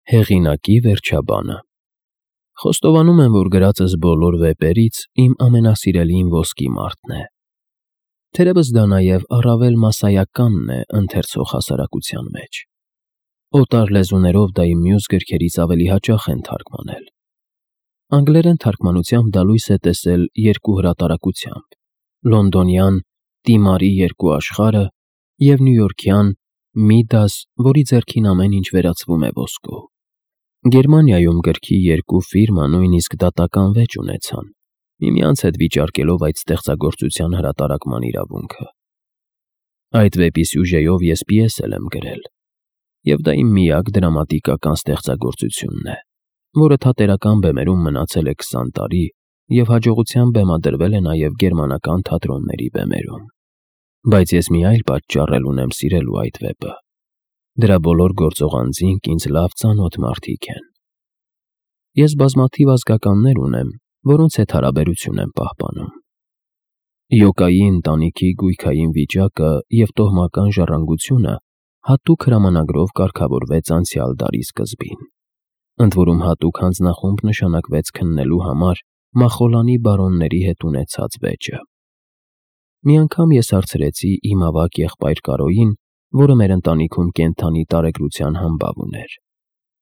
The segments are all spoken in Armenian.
Հեղինակի վերջաբանը։ Խոստովանում եմ, որ գրածս բոլոր վեպերից իմ ամենասիրելին ոսկի մարտն է։ Թերևս դա նաև առավել մասսայականն է ընթերցող հասարակության մեջ։ Օտար լեզուներով դա իմ մյուս գրքերից ավելի հաճախ են թարգմանել։ Անգլերեն թարգմանությամբ դա լույս է տեսել երկու հրատարակությամբ՝ լոնդոնյան «Տիմարի երկու աշխարհը» և նյույորքյան «Միդաս, որի ձեռքին ամեն ինչ վերածվում է ոսկու»։ Գերմանիայում գրքի երկու ֆիրմա նույնիսկ դատական վեճ ունեցան, միմյանց հետ վիճարկելով այդ ստեղծագործության հրատարակման իրավունքը։ Այդ վեպի սյուժեով ես պիես էլ եմ գրել, և դա իմ միակ դրամատիկական ստեղծագործությունն է, որը թատերական բեմերում մնացել է 20 տարի և հաջողությամբ բեմադրվել է նաև գերմանական թատրոնների բեմերում։ Բայց ես մի այլ պատճառ էլ ունեմ սիրելու այդ վեպը։ Դրա բոլոր գործող անձինք ինձ լավ ծանոթ մարդիկ են։ Ես բազմաթիվ ազգականներ ունեմ, որոնց հետ հարաբերություն եմ պահպանում։ Յոկայի ընտանիքի գույքային վիճակը և տոհմական ժառանգությունը հատուկ հրամանագրով կարգավորվեց անցյալ դարի սկզբին։ Ընդ որում հատուկ հանձնախումբ նշանակվեց քննելու համար Մախոլանի բարոնների հետ ունեցած վեճը։ Մի անգամ ես հարցրեցի իմ ավագ եղբայր Կարոյին, որը մեր ընտանիքում կենդանի տարեգրության համբավ ուներ.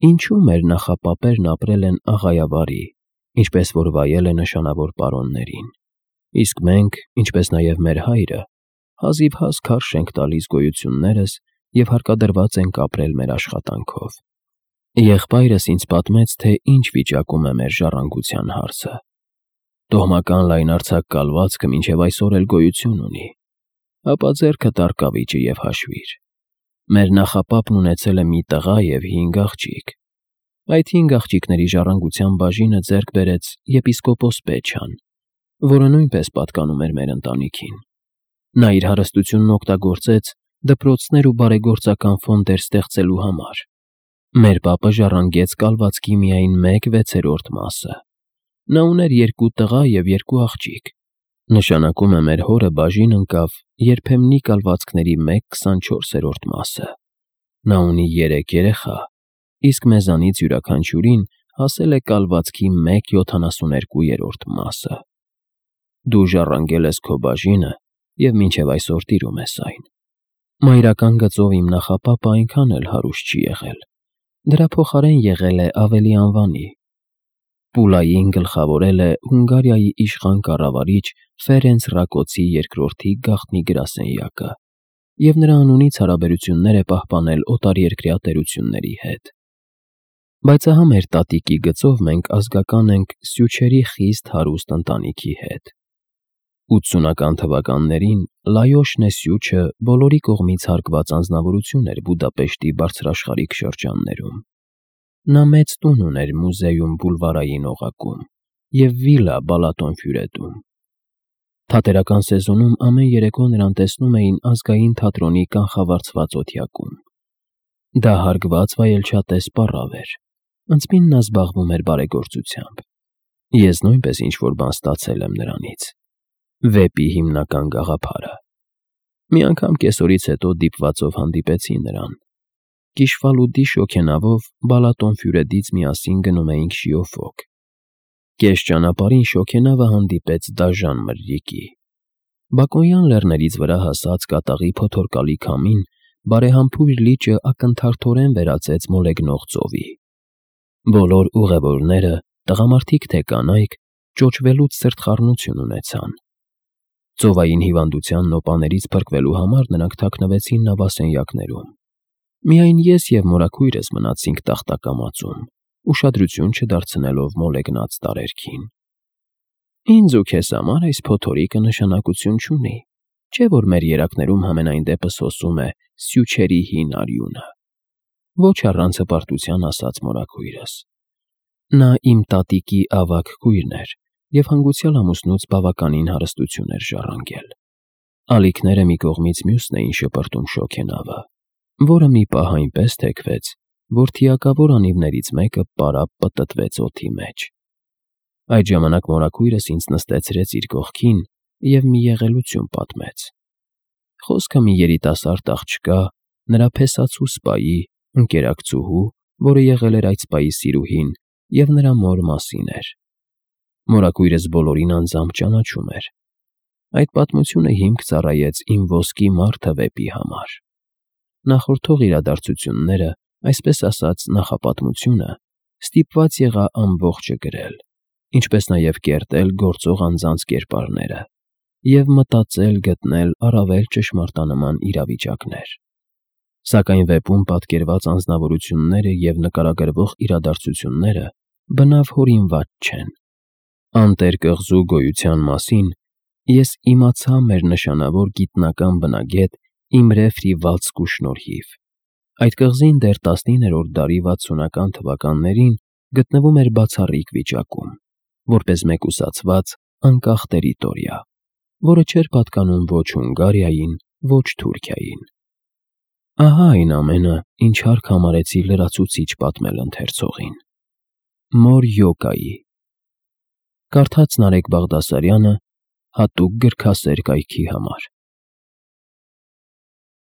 ինչու մեր նախապապերն ապրել են աղայավարի, ինչպես որ վայել է նշանավոր պարոններին, իսկ մենք, ինչպես նաև մեր հայրը, հազիվհազ քարշ ենք տալիս գոյություններս և հարկադրված ենք ապրել մեր աշխատանքով։ Եղբայրս ինձ պատմեց, թե ինչ վիճակում է մեր ժառանգության հարցը։ Տոհմական լայնարձակ կալվածքը մինչև այսօր էլ գոյություն ունի, ապա ձեռքդ առ կավիճը և հաշվիր։ Մեր նախապապն ունեցել է մի տղա և 5 աղջիկ։ Այդ 5 աղջիկների ժառանգության բաժինը ձեռք բերեց եպիսկոպոս Պեչան, որը նույնպես պատկանում էր մեր ընտանիքին։ Նա իր հարստությունն օգտագործեց դպրոցներ ու բարեգործական ֆոնդեր ստեղծելու համար։ Մեր պապը ժառանգեց կալվածքի միայն 1/6 մասը։ Նա ուներ 2 տղա և 2 աղջիկ։ Նշանակում է մեր հորը բաժին ընկավ երբեմնի կալվածքների 1/24 մասը։ Նա ունի 3 երեխա, իսկ մեզանից յուրաքանչյուրին հասել է կալվածքի 1/72 մասը։ Դու ժառանգել ես քո բաժինը և մինչև այսօր տիրում ես այն։ Մայրական գծով իմ նախապապը այնքան էլ հարուստ չի եղել, դրա փոխարեն եղել է ավելի անվանի։ Պուլային գլխավորել է Հունգարիայի իշխան կառավարիչ Ֆերենց Ռակոցի II գաղտնի գրասենյակը և նրա անունից հարաբերություններ է պահպանել օտարերկրյա տերությունների հետ։ Բայց ահա մեր տատիկի գծով մենք ազգական ենք Սյուչերի խիստ հարուստ ընտանիքի հետ։ 80-ական թվականներին Լայոշնե Սյուչը բոլորի կողմից հարգված անձնավորություն էր Բուդապեշտի բարձրաշխարհիկ շրջաններում։ Նա մեծ տուն ուներ Մուզեում բուլվարային օղակում և վիլլա Բալատոնֆյուրետում։ Թատերական սեզոնում ամեն երեկո նրան տեսնում էին Ազգային թատրոնի կանխավարձված օթյակում։ Դա հարգված վայելչատես պառավ էր։ Ընծմին նա զբաղվում էր բարեգործությամբ։ Ես նույնպես ինչ-որ բան ստացել եմ նրանից։ Վեպի հիմնական գաղափարը։ Մի անգամ կեսօրից հետո դիպվածով հանդիպեցի նրան։ Կիշվալուդի շոգենավով Բալատոնֆյուրետից միասին գնում էինք Շիոֆոկ։ Կես ճանապարհին շոգենավը հանդիպեց դաժան մրրիկի։ Բակոնյան լեռներից վրա հասած կատաղի փոթորկալի քամին բարեհամբույր լիճը ակնթարթորեն վերածեց մոլեգնող ծովի։ Բոլոր ուղևորները, տղամարդիկ թե կանայք, ճոճվելուց սրտխառնություն ունեցան։ Ծովային հիվանդության նոպաներից փրկվելու համար նրանք թաքնվեցին նավասենյակներում։ Միայն ես և մորաքույրս մնացինք տախտակամածում, ուշադրություն չդարձնելով մոլեգնած տարերքին։ Ինձ ու քեզ համար այս փոթորիկը նշանակություն չունի, չէ՞ որ մեր երակներում համենայն դեպս հոսում է Սյուչերի հին արյունը։ Ոչ առանց հպարտության ասաց մորաքույրս։ Նա իմ տատիկի ավագ քույրն էր և հանգուցյալ ամուսնուց բավականին հարստություն էր ժառանգել։ Ալիքները մի կողմից մյուսն էին շպրտում շոգենավը, որը մի պահ այնպես թեքվեց, որ թիակավոր անիվներից մեկը պարապ պտտվեց օդի մեջ։ Այդ ժամանակ մորաքույրս ինձ նստեցրեց իր կողքին և մի եղելություն պատմեց։ Խոսքը մի երիտասարդ աղջկա, նրա փեսացու սպայի, ընկերակցուհու որը եղել էր այդ սպայի սիրուհին և նրա մոր մասին էր։ Մորակույրս բոլորին անձամբ ճանաչում էր։ Այդ պատմությունը հիմք ծառայեց իմ ոսկի մարդը վեպի համար։ Նախորդող իրադարձությունները, այսպես ասած նախապատմությունը, ստիպված եղա ամբողջը գրել, ինչպես նաև կերտել գործող անձանց կերպարները և մտածել գտնել առավել ճշմարտանման իրավիճակներ։ Սակայն վեպում պատկերված անձնավորությունները և նկարագրվող իրադարձությունները բնավ հորինված չեն։ Անտեր կղզու գոյության մասին ես իմացա մեր նշանավոր գիտնական բնագետ Իմրե Ֆրիվալդսկու շնորհիվ։ Այդ կղզին դեռ 19-րդ դարի 60-ական թվականներին գտնվում էր բացառիկ վիճակում, որպես մեկուսացված, անկախ տերիտորիա, որը չէր պատկանում ոչ Հունգարիային, ոչ Թուրքիային։ Ահա այն ամենը, ինչ հարկ համարեցի լրացուցիչ պատմել ընթերցողին։ Մոր Յոկայի կարդաց Նարեկ Բաղդասարյանը հատուկ գրքասեր կայքի համար։